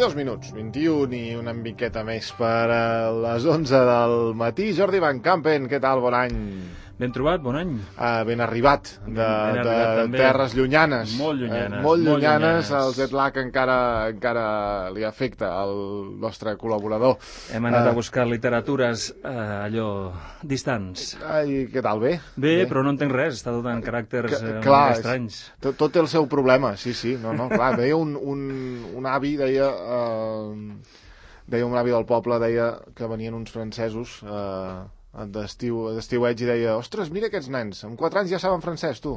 22 minuts, 21 i una miqueta més per a les 11 del matí. Jordi Van Campen, què tal? Bon any. Ben trobat, bon any. Ben arribat de terres llunyanes. Molt llunyanes. Molt llunyanes. El jet lag encara li afecta al nostre col·laborador. Hem anat a buscar literatures allò distants. I què tal, bé? Bé, però no entenc res, està tot en caràcters estranys. Tot té el seu problema, sí. No, clar, deia un avi, deia un avi del poble, deia que venien uns francesos d'estiueig i deia, ostres, mira aquests nens, amb 4 anys ja saben francès, tu.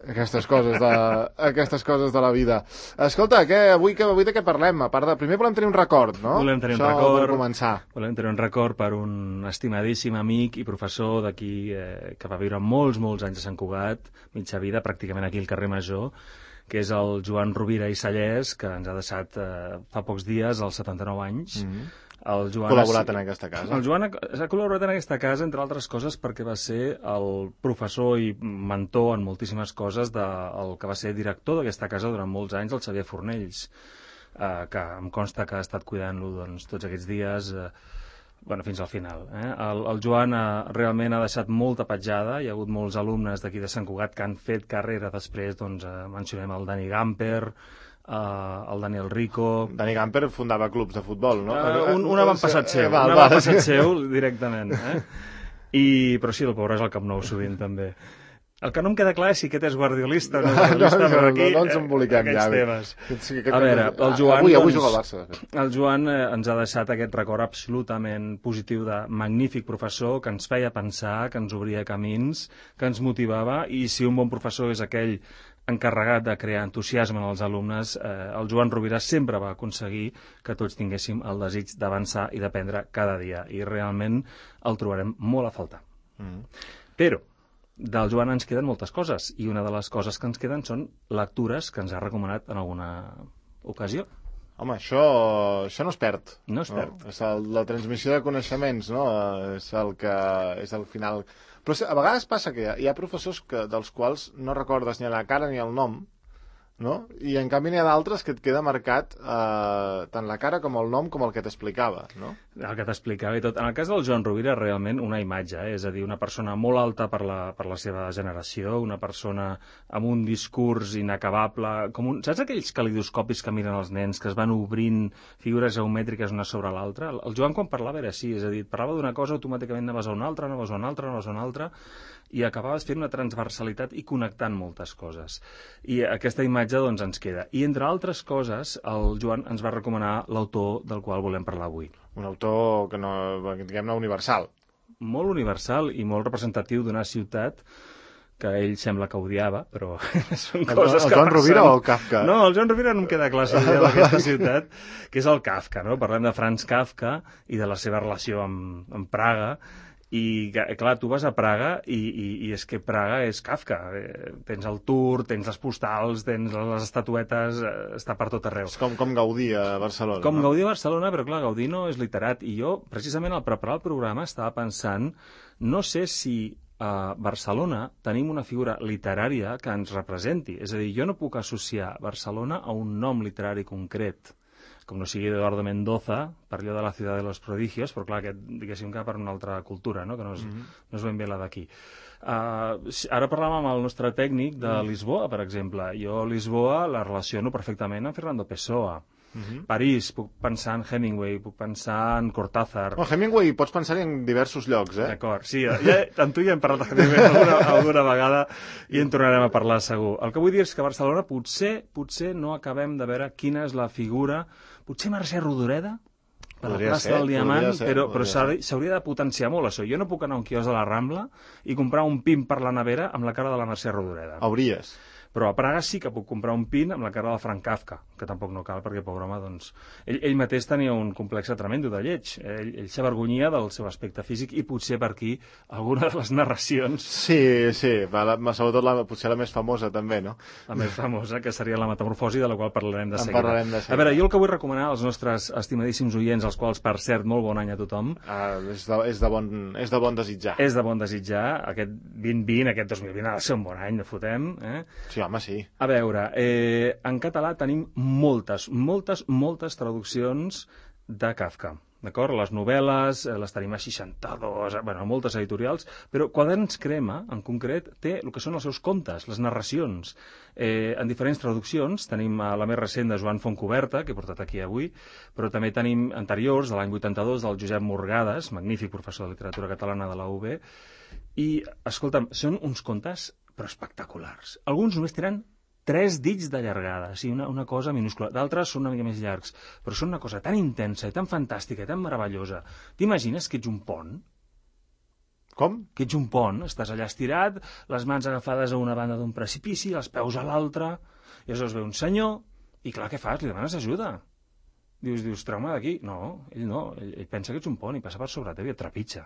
Aquestes coses de la vida. Escolta, avui de què parlem? A part de... Primer volem tenir un record, no? Volem tenir un record. Per començar. Volem tenir un record per un estimadíssim amic i professor d'aquí, que va viure molts anys a Sant Cugat, mitja vida, pràcticament aquí al carrer Major, que és el Joan Rovira i Sallés, que ens ha deixat fa pocs dies, als 79 anys. El Joan col·laborat en aquesta casa. El Joan ha col·laborat en aquesta casa, entre altres coses, perquè va ser el professor i mentor en moltíssimes coses del que va ser director d'aquesta casa durant molts anys, el Xavier Fornells, que em consta que ha estat cuidant-lo tots aquests dies, fins al final. El Joan realment ha deixat molta petjada, hi ha hagut molts alumnes d'aquí de Sant Cugat que han fet carrera després, mencionem el Dani Gamper, el Daniel Rico... Dani Gamper fundava clubs de futbol, no? Un avantpassat seu, un avantpassat seu directament. Però sí, el pobre és el Camp Nou sovint, també. El que no em queda clar és si aquest és guardiolista o no guardiolista, però aquí no ens emboliquem ja. Temes. A veure, el Joan... Avui juga al Barça. El Joan ens ha deixat aquest record absolutament positiu de magnífic professor que ens feia pensar, que ens obria camins, que ens motivava, i si un bon professor és aquell encarregat de crear entusiasme en els alumnes, el Joan Rovira sempre va aconseguir que tots tinguéssim el desig d'avançar i d'aprendre cada dia, i realment el trobarem molt a faltar. Però del Joan ens queden moltes coses, i una de les coses que ens queden són lectures que ens ha recomanat en alguna ocasió. Home, això no es perd. No es perd. La transmissió de coneixements, no? És el final... Però a vegades passa que hi ha professors dels quals no recordes ni la cara ni el nom, no? I en canvi n'hi ha d'altres que et queda marcat tant la cara com el nom com el que t'explicava, no? El que t'explicava i tot. En el cas del Joan Rovira, realment una imatge, és a dir, una persona molt alta per la seva generació, una persona amb un discurs inacabable, saps aquells calidoscopis que miren els nens, que es van obrint figures geomètriques una sobre l'altra? El Joan, quan parlava, era així, és a dir, parlava d'una cosa, automàticament anaves a una altra, i acabaves fent una transversalitat i connectant moltes coses. I aquesta imatge, ens queda. I, entre altres coses, el Joan ens va recomanar l'autor del qual volem parlar avui. Un autor que diguem-ne, universal. Molt universal i molt representatiu d'una ciutat que ell sembla que odiava, però són coses que passen. El Joan Rovira o el Kafka? No, el Joan Rovira no em queda clar si odiava aquesta ciutat, que és el Kafka, no? Parlem de Franz Kafka i de la seva relació amb Praga. I, clar, tu vas a Praga i és que Praga és Kafka. Tens el Tour, tens les postals, tens les estatuetes, està per tot arreu. És com Gaudí a Barcelona. Gaudí a Barcelona, però clar, Gaudí no és literat. I jo, precisament, al preparar el programa, estava pensant, no sé si a Barcelona tenim una figura literària que ens representi. És a dir, jo no puc associar Barcelona a un nom literari concret, com no sigui Eduardo Mendoza, per allò de la ciutat de los prodigios, però clar, aquest, diguéssim, que per una altra cultura, no? Que no és ben bé la d'aquí. Ara parlàvem amb el nostre tècnic de Lisboa, per exemple. Jo a Lisboa la relaciono perfectament amb Fernando Pessoa. París, puc pensar en Hemingway, puc pensar en Cortázar. Hemingway pots pensar en diversos llocs, D'acord, sí, amb tu ja hem parlat de Hemingway alguna vegada i en tornarem a parlar segur. El que vull dir és que a Barcelona potser no acabem de veure quina és la figura. Potser Mercè Rodoreda, per la plaça del Diamant, però s'hauria de potenciar molt això. Jo no puc anar a un quiosc de la Rambla i comprar un pin per la nevera amb la cara de la Mercè Rodoreda. Hauries. Però a Praga sí que puc comprar un pin amb la cara de Frank Kafka, que tampoc no cal, perquè, pobre home, doncs... Ell mateix tenia un complex tremendo de lleig. Ell s'avergonyia del seu aspecte físic i potser per aquí alguna de les narracions... Sí, sobretot potser la més famosa també, no? La més famosa, que seria la metamorfosi, de la qual parlarem de seguida. A veure, jo el que vull recomanar als nostres estimadíssims oients, als quals, per cert, molt bon any a tothom... És de bon desitjar. És de bon desitjar. Aquest 2020, aquest 2020 ha de ser un bon any, no fotem, Sí, home, sí. A veure, en català tenim moltes traduccions de Kafka. D'acord? Les novel·les, les tenim a 62, moltes editorials, però Quaderns Crema, en concret, té el que són els seus contes, les narracions. En diferents traduccions, tenim la més recent de Joan Fontcoberta, que he portat aquí avui, però també tenim anteriors, de l'any 82, del Josep Morgades, magnífic professor de literatura catalana de la UB, i, escolta'm, són uns contes però espectaculars. Alguns només tenen 3 dits de llargada, sí, una cosa minúscula. D'altres són una mica més llargs, però són una cosa tan intensa, tan fantàstica, tan meravellosa. T'imagines que ets un pont? Com? Que ets un pont, estàs allà estirat, les mans agafades a una banda d'un precipici, els peus a l'altra, i aleshores ve un senyor, i clar, què fas? Li demanes ajuda. Dius, treu-me d'aquí. No, ell pensa que ets un pont i passa per sobre teu i et trepitja.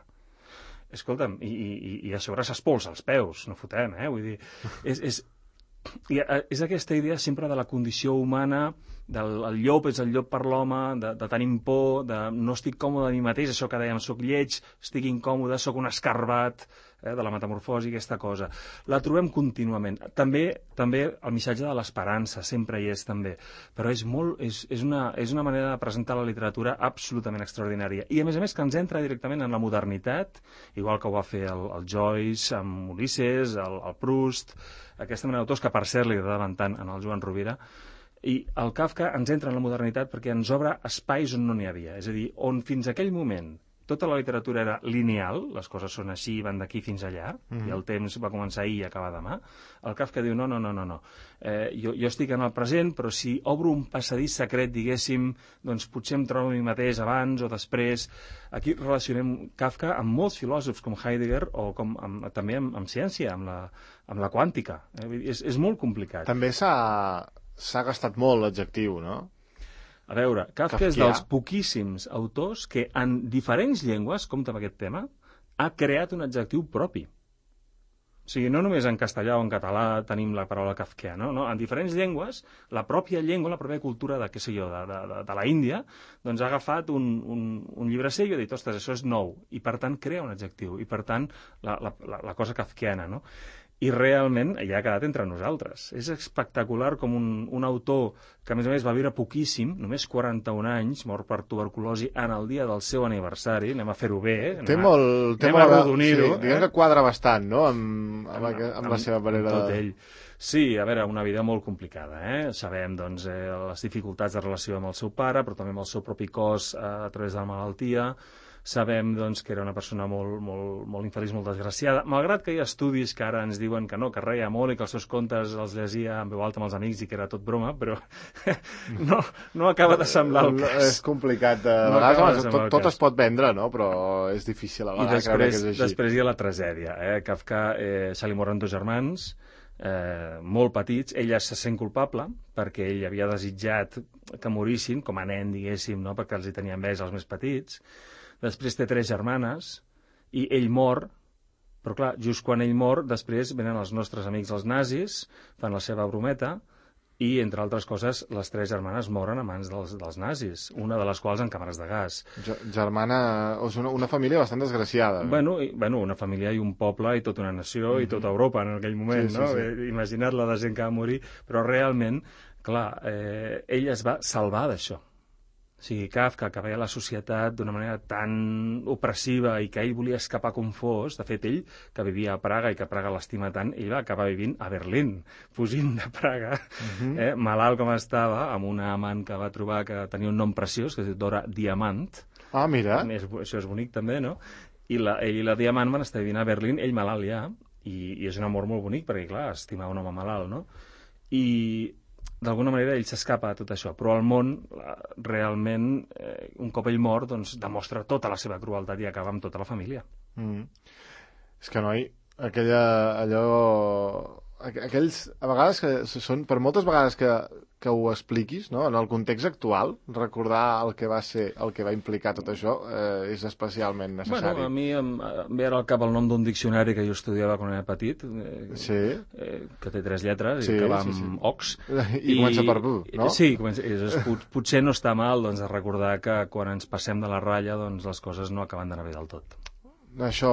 Escolta'm, i a sobre s'espolsa els peus, no fotem, vull dir, és aquesta idea sempre de la condició humana, el llop és el llop per l'home, de tenim por, de no estic còmode a mi mateix, això que dèiem, soc lleig, estic incòmode, soc un escarbat, de la metamorfosi, aquesta cosa. La trobem contínuament. També el missatge de l'esperança, sempre hi és també, però és una manera de presentar la literatura absolutament extraordinària. I a més que ens entra directament en la modernitat, igual que ho va fer el Joyce amb Ulisses, el Proust, aquesta mena d'autors que per cert li agradaven tant en el Joan Rovira, i el Kafka ens entra en la modernitat perquè ens obre espais on no n'hi havia, és a dir, on fins aquell moment tota la literatura era lineal, les coses són així, van d'aquí fins allà, i el temps va començar ahir i acabar demà. El Kafka diu, no. Jo estic en el present, però si obro un passadís secret, diguéssim, doncs potser em trobo a mi mateix abans o després. Aquí relacionem Kafka amb molts filòsofs com Heidegger o també amb ciència, amb la quàntica. És molt complicat. També s'ha gastat molt l'adjectiu, no? A veure, Kafka és dels poquíssims autors que en diferents llengües, compte amb aquest tema, ha creat un adjectiu propi. O sigui, no només en castellà o en català tenim la paraula kafkiana, no? En diferents llengües, la pròpia llengua, la pròpia cultura de la Índia, doncs ha agafat un llibre seu i ha dit, ostres, això és nou, i per tant crea un adjectiu, i per tant la cosa kafkiana, no? I realment ja ha quedat entre nosaltres. És espectacular com un autor que, a més, va viure poquíssim, només 41 anys, mort per tuberculosi en el dia del seu aniversari, anem a fer-ho bé, anem a arrodonir-ho. Sí, diguem que quadra bastant, no?, amb la seva manera de... Tot ell. Sí, a veure, una vida molt complicada, Sabem, doncs, les dificultats de relació amb el seu pare, però també amb el seu propi cos a través de la malaltia. Sabem, doncs, que era una persona molt infeliç, molt desgraciada, malgrat que hi ha estudis que ara ens diuen que no, que reia molt i que els seus contes els llegia en veu alta amb els amics i que era tot broma, però no acaba de semblar el cas. És complicat. A vegades tot es pot vendre, no? Però és difícil a vegades creure que és així. Després hi ha la tragèdia. Kafka se li moren 2 germans, molt petits. Ella se sent culpable perquè ell havia desitjat que morissin, com a nen, diguéssim, no? Perquè els hi tenia enveja els més petits. Després té 3 germanes i ell mor, però clar, just quan ell mor, després venen els nostres amics els nazis, fan la seva brometa i, entre altres coses, les 3 germanes moren a mans dels nazis, una de les quals en càmeres de gas. Germana, és una família bastant desgraciada. Bueno, una família i un poble i tota una nació i tota Europa en aquell moment, sí, no? Sí. Imagina't la de gent que va morir, però realment, clar, ell es va salvar d'això. O sigui, Kafka, que veia la societat d'una manera tan opressiva i que ell volia escapar com fos, de fet, ell, que vivia a Praga i que Praga l'estima tant, ell va acabar vivint a Berlín, fugint de Praga, malalt com estava, amb una amant que va trobar que tenia un nom preciós, que es diu Dora Diamant. Ah, mira. Això és bonic, també, no? I ell i la Diamant van estar vivint a Berlín, ell malalt ja, i és un amor molt bonic, perquè, clar, estimar un home malalt, no? I d'alguna manera ell s'escapa de tot això, però al món realment, un cop ell mor, doncs demostra tota la seva crueltat i acaba amb tota la família. És que, noi, aquells, a vegades que són, per moltes vegades que ho expliquis, no? En el context actual, recordar el que va ser, el que va implicar tot això, és especialment necessari. Bueno, a mi em ve ara al cap el nom d'un diccionari que jo estudiava quan era petit, que té 3 lletres i que va amb ox. I comença per bu, no? Sí, potser no està mal, doncs, recordar que quan ens passem de la ratlla, doncs les coses no acaben d'anar bé del tot. això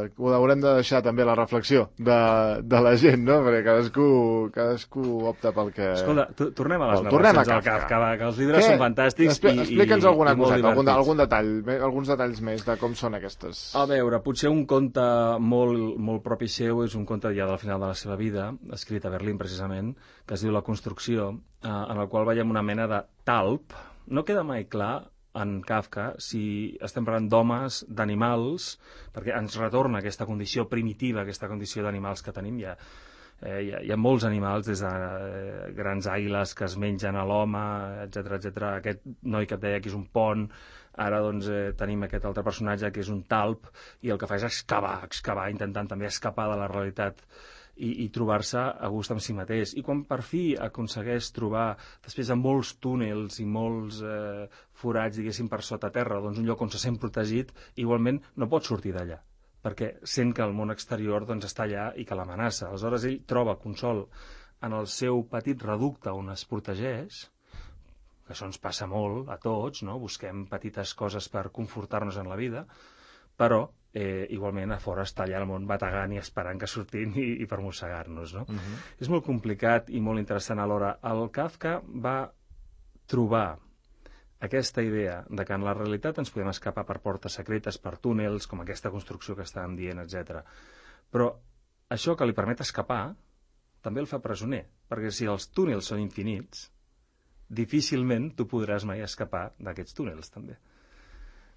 ho haurem de deixar també la reflexió de la gent, no? Perquè cadascú opta pel que... Escolta, tornem a les narracions del Kafka, que els llibres són fantàstics explica'ns alguna coseta, algun detall, alguns detalls més de com són aquestes. A veure, potser un conte molt propi seu és un conte ja del final de la seva vida, escrit a Berlín precisament, que es diu La construcció, en el qual veiem una mena de talp. No queda mai clar en Kafka si estem parlant d'homes, d'animals, perquè ens retorna aquesta condició primitiva, aquesta condició d'animals que tenim. Hi ha molts animals, des de grans àguiles que es mengen a l'home, etc. Aquest noi que et deia que és un pont, ara doncs tenim aquest altre personatge que és un talp, i el que fa és excavar, intentant també escapar de la realitat i trobar-se a gust amb si mateix. I quan per fi aconsegueix trobar, després de molts túnels i molts forats, diguéssim, per sota terra, doncs un lloc on se sent protegit, igualment no pot sortir d'allà, perquè sent que el món exterior doncs, està allà i que l'amenaça. Aleshores ell troba consol en el seu petit reducte on es protegeix, que això ens passa molt a tots, no? Busquem petites coses per confortar-nos en la vida, però igualment a fora està allà el món bategant i esperant que surtin i per mossegar-nos, no? És molt complicat i molt interessant alhora. El Kafka va trobar aquesta idea de que en la realitat ens podem escapar per portes secretes, per túnels, com aquesta construcció que estàvem dient, etc. Però això que li permet escapar també el fa presoner, perquè si els túnels són infinits, difícilment tu podràs mai escapar d'aquests túnels, també.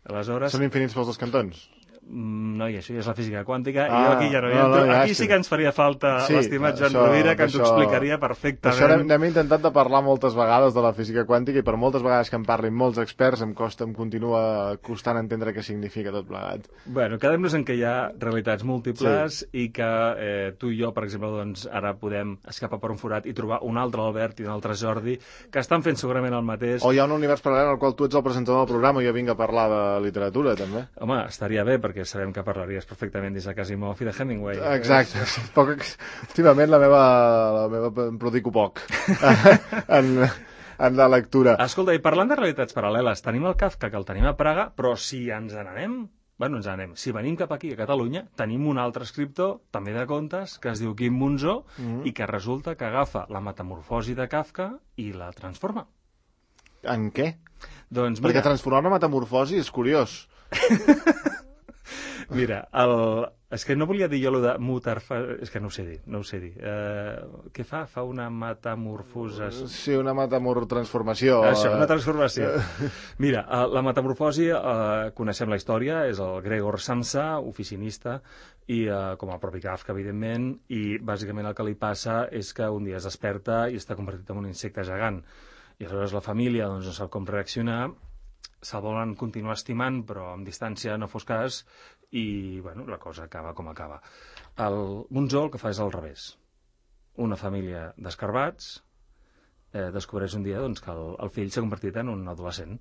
Aleshores... Són infinits pels dos cantons? No, i això ja és la física quàntica, i jo aquí ja no hi entro. Aquí sí que ens faria falta l'estimat Joan Rovira, que ens ho explicaria perfectament. Això n'hem intentat de parlar moltes vegades de la física quàntica, i per moltes vegades que en parlin molts experts em continua costant entendre què significa tot plegat. Bueno, quedem-nos en que hi ha realitats múltiples i que tu i jo, per exemple, doncs, ara podem escapar per un forat i trobar un altre Albert i un altre Jordi, que estan fent segurament el mateix. O hi ha un univers paral·lel en el qual tu ets el presentador del programa i jo vinc a parlar de literatura, també. Home, estaria bé, perquè sabem que parlaries perfectament des de Asimov i de Hemingway. Exacte. Últimament la meva em prodico poc en la lectura. Escolta, i parlant de realitats paral·leles, tenim el Kafka, que el tenim a Praga, però si ens n'anem... Si venim cap aquí, a Catalunya, tenim un altre escriptor, també de contes, que es diu Quim Monzó, i que resulta que agafa la metamorfosi de Kafka i la transforma. En què? Doncs mira... Perquè transformar una metamorfosi és curiós. Mira, és que no volia dir jo allò de és que no ho sé dir. Què fa? Fa una metamorfosa... Sí, una transformació. Això, una transformació. Mira, la metamorfosi, coneixem la història, és el Gregor Samsa, oficinista, i com el propi Kafka, evidentment, i bàsicament el que li passa és que un dia es desperta i està convertit en un insecte gegant. I aleshores la família doncs, no sap com reaccionar, se'l volen continuar estimant, però amb distància no fos cas, i bueno, la cosa acaba com acaba. El Monzó el que fa és al revés. Una família d'escarbats descobreix un dia doncs, que el fill s'ha convertit en un adolescent,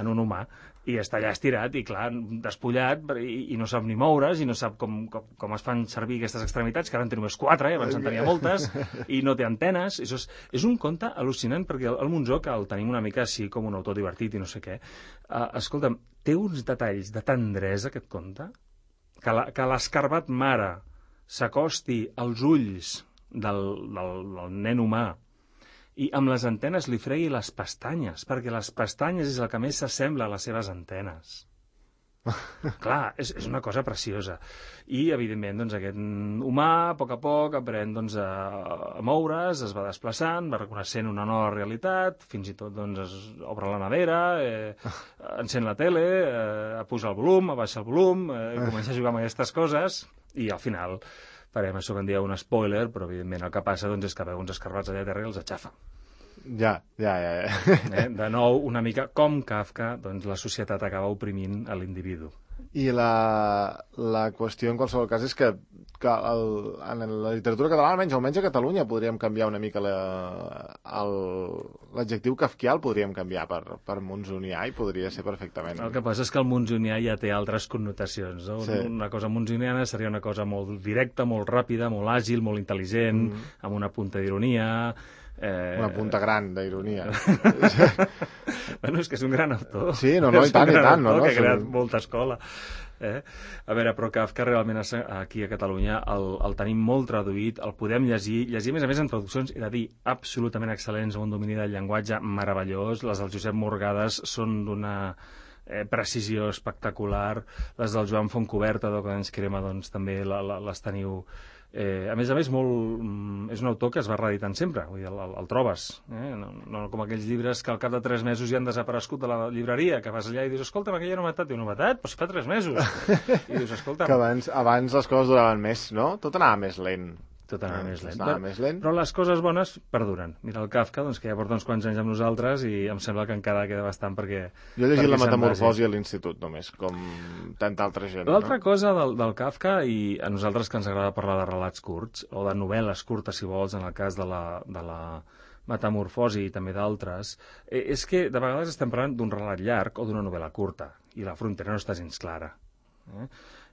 en un humà, i està allà estirat i, clar, despullat, i no sap ni moure's, i no sap com es fan servir aquestes extremitats, que ara en té només 4, abans en tenia moltes, i no té antenes. És un conte al·lucinant, perquè el Monzó, que el tenim una mica així com un autor divertit i no sé què, escolta'm, té uns detalls de tendresa, aquest conte, que l'escarbat mare s'acosti als ulls del nen humà i amb les antenes li fregui les pestanyes, perquè les pestanyes és el que més s'assembla a les seves antenes. Clar, és una cosa preciosa. I, evidentment, doncs, aquest humà, a poc, aprèn doncs, a moure's, es va desplaçant, va reconeixent una nova realitat, fins i tot doncs, es obre la nevera, encén la tele, puja el volum, abaixa el volum, comença a jugar amb aquestes coses, i al final farem això que en dieu un spoiler, però evidentment el que passa doncs, és que veu uns escarbats allà a terra i els aixafa. Ja. De nou, una mica com Kafka, doncs la societat acaba oprimint a l'individu. I la qüestió en qualsevol cas és que en la literatura catalana, almenys a Catalunya, podríem canviar una mica l'adjectiu kafkià, el podríem canviar per monzonià i podria ser perfectament. El que passa és que el monzonià ja té altres connotacions. No? Sí. Una cosa monzoniana seria una cosa molt directa, molt ràpida, molt àgil, molt intel·ligent, amb una punta d'ironia, Una punta gran d'ironia. Bueno, és que és un gran autor. Sí, no, i tant, no? Que ha creat molta escola. A veure, però Kafka realment aquí a Catalunya el tenim molt traduït, el podem llegir a més en traduccions, he de dir, absolutament excel·lents, amb un domini del llenguatge meravellós. Les del Josep Morgades són d'una precisió espectacular, les del Joan Fontcoberta, que ens crema, doncs també les teniu. A més, és un autor que es va reeditant sempre, vull dir, el trobes, no com aquells llibres que al cap de 3 mesos ja han desaparegut de la llibreria, que vas allà i dius, escolta, aquella novetat, diu, novetat? Però si fa 3 mesos. I dius, escolta... Que abans les coses duraven més, no? Tot anava més lent. Tot anava més lent. Però les coses bones perduren. Mira el Kafka, doncs, que ja porta uns quants anys amb nosaltres i em sembla que encara queda bastant perquè... Jo he llegit La Metamorfosi a l'institut, només, com tanta altra gent. L'altra cosa del Kafka, i a nosaltres que ens agrada parlar de relats curts, o de novel·les curtes, si vols, en el cas de la Metamorfosi i també d'altres, és que de vegades estem parlant d'un relat llarg o d'una novel·la curta, i la frontera no està gens clara.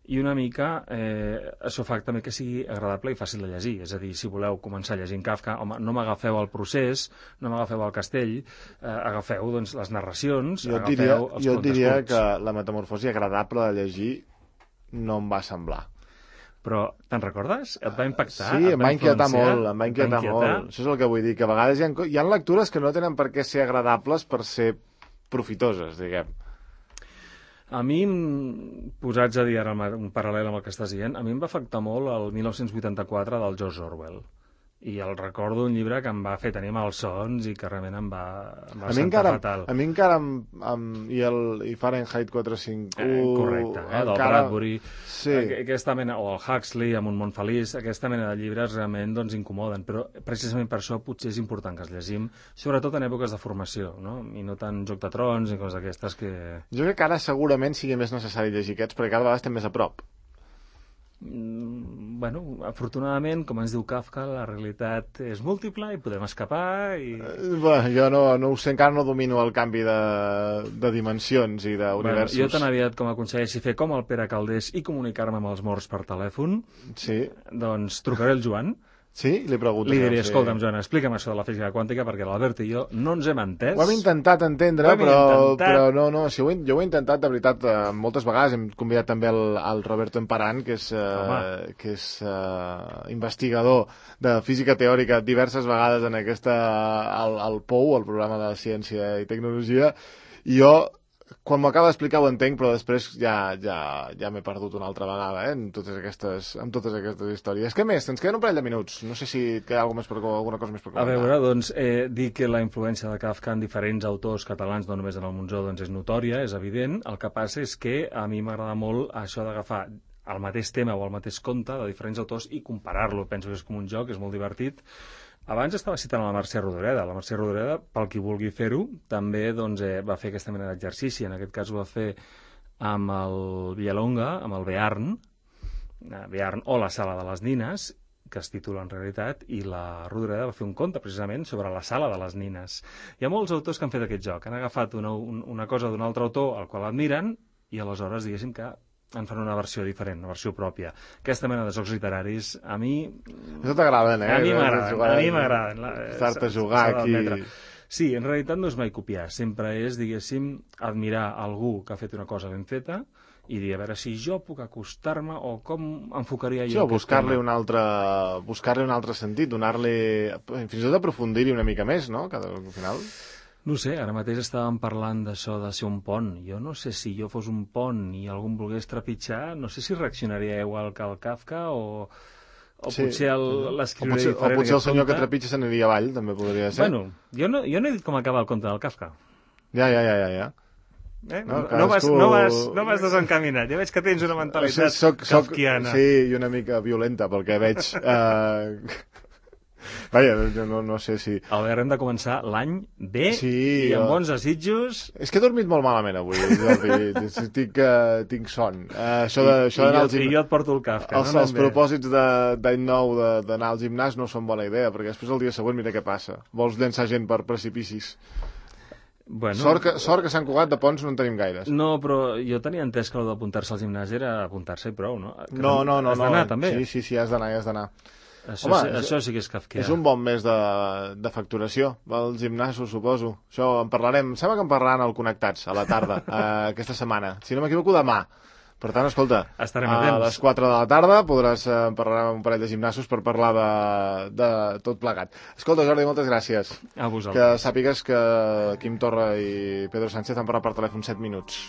I una mica això fa també que sigui agradable i fàcil de llegir. És a dir, si voleu començar llegint Kafka, home, no m'agafeu al procés, no m'agafeu al castell, agafeu doncs, les narracions, agafeu els contes curts. Jo diria que La Metamorfosi agradable de llegir no em va semblar. Però te'n recordes? Et va impactar? Sí, em va inquietar molt. Això és el que vull dir, que a vegades hi ha lectures que no tenen per què ser agradables per ser profitoses, diguem. A mi, posats a dir ara un paral·lel amb el que estàs dient, a mi em va afectar molt el 1984 del George Orwell. I el recordo un llibre que em va fer tenir malsons i que realment em va sentar fatal. A mi encara i Fahrenheit 451... Correcte, del Bradbury. Sí. Aquesta mena, o el Huxley, amb Un món feliç, aquesta mena de llibres realment doncs, incomoden, però precisament per això potser és important que els llegim, sobretot en èpoques de formació, no? I no tant Joc de Trons i coses d'aquestes que... Jo crec que ara segurament sigui més necessari llegir aquests, perquè cada vegada estem més a prop. Bueno, afortunadament, com ens diu Kafka, la realitat és múltiple i podem escapar i... jo no ho sé, encara no domino el canvi de dimensions i d'universos. Jo tan aviat com aconsegueixi fer com el Pere Caldés i comunicar-me amb els morts per telèfon, sí. Doncs trucaré el Joan. Sí? Li pregunto. Li diré, escolta'm, Joan, explica'm això de la física quàntica, perquè l'Albert i jo no ens hem entès. Ho hem intentat entendre, però no, jo ho he intentat, de veritat, moltes vegades. Hem convidat també el Roberto Emparan, que és investigador de física teòrica diverses vegades en al POU, el programa de ciència i tecnologia, i jo quan m'ho acaba d'explicar ho entenc, però després ja m'he perdut una altra vegada, amb totes aquestes històries. Què més? Ens queden un parell de minuts. No sé si et queda alguna cosa més per comentar. A veure, doncs, dir que la influència de Kafka en diferents autors catalans, no només en el Monzó, doncs és notòria, és evident. El que passa és que a mi m'agrada molt això d'agafar el mateix tema o el mateix conte de diferents autors i comparar-lo. Penso que és com un joc, és molt divertit. Abans estava citant la Mercè Rodoreda. La Mercè Rodoreda, pel qui vulgui fer-ho, també doncs, va fer aquesta mena d'exercici. En aquest cas ho va fer amb el Villalonga, amb el Bearn o la Sala de les Nines, que es titula en realitat, i la Rodoreda va fer un conte precisament sobre la Sala de les Nines. Hi ha molts autors que han fet aquest joc. Han agafat una cosa d'un altre autor al qual admiren i aleshores, diguéssim que en fan una versió diferent, una versió pròpia. Aquesta mena de jocs literaris, a mi... Això t'agraden, A mi m'agraden. Estar-te a jugar aquí... Sí, en realitat no és mai copiar. Sempre és, diguéssim, admirar algú que ha fet una cosa ben feta i dir, a veure si jo puc acostar-me o com enfocaria jo... Sí, buscar-li un altre sentit, donar-li... Fins i tot aprofundir-hi una mica més, no? Al final... No sé, ara mateix estàvem parlant d'això de ser un pont. Jo no sé si jo fos un pont i algú em volgués trepitjar, no sé si reaccionaria igual que el Kafka o potser l'escriuria diferent. O potser el senyor que trepitja se n'aniria avall, també podria ser. Bueno, jo no he dit com acaba el conte del Kafka. Ja. No vas desencaminat. Ja veig que tens una mentalitat kafkiana. Sí, i una mica violenta, pel que veig... Vaja, no sé si... Albert, hem de començar l'any bé i amb bons desitjos. És que he dormit molt malament avui, Jordi. Tinc son. I jo et porto el Kafka. Els propòsits d'any nou d'anar al gimnàs no són bona idea, perquè després el dia següent mira què passa. Vols llençar gent per precipicis. Bueno, sort que Sant Cugat de Ponts no en tenim gaires. No, però jo tenia entès que el d'apuntar-se al gimnàs era apuntar-se i prou, no? No. Has d'anar, també? Sí, has d'anar. Això sí que és kafkià. És un bon mes de facturació, els gimnasos, suposo. Això en parlarem, sembla que en parlaran al Connectats, a la tarda, aquesta setmana. Si no m'equivoco, demà. Per tant, escolta, estarem a les 4 de la tarda podràs parlar amb un parell de gimnasos per parlar de tot plegat. Escolta, Jordi, moltes gràcies. A vosaltres. Que sàpigues que Quim Torra i Pedro Sánchez han parlat per telèfon 7 minuts.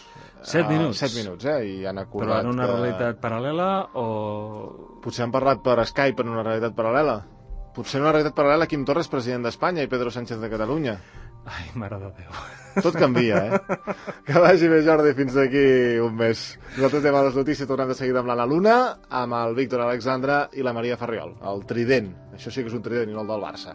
7 minuts? 7 minuts, i han acordat... Però en una realitat paral·lela o... Potser han parlat per Skype en una realitat paral·lela. Potser en una realitat paral·lela Quim Torra és president d'Espanya i Pedro Sánchez de Catalunya. Ai, mare de Déu. Tot canvia, Que vagi bé, Jordi, fins d'aquí un mes. Nosaltres anem a les notícies, tornem de seguida amb l'Anna Luna, amb el Víctor Alexandre i la Maria Ferriol. El trident. Això sí que és un trident i no el del Barça.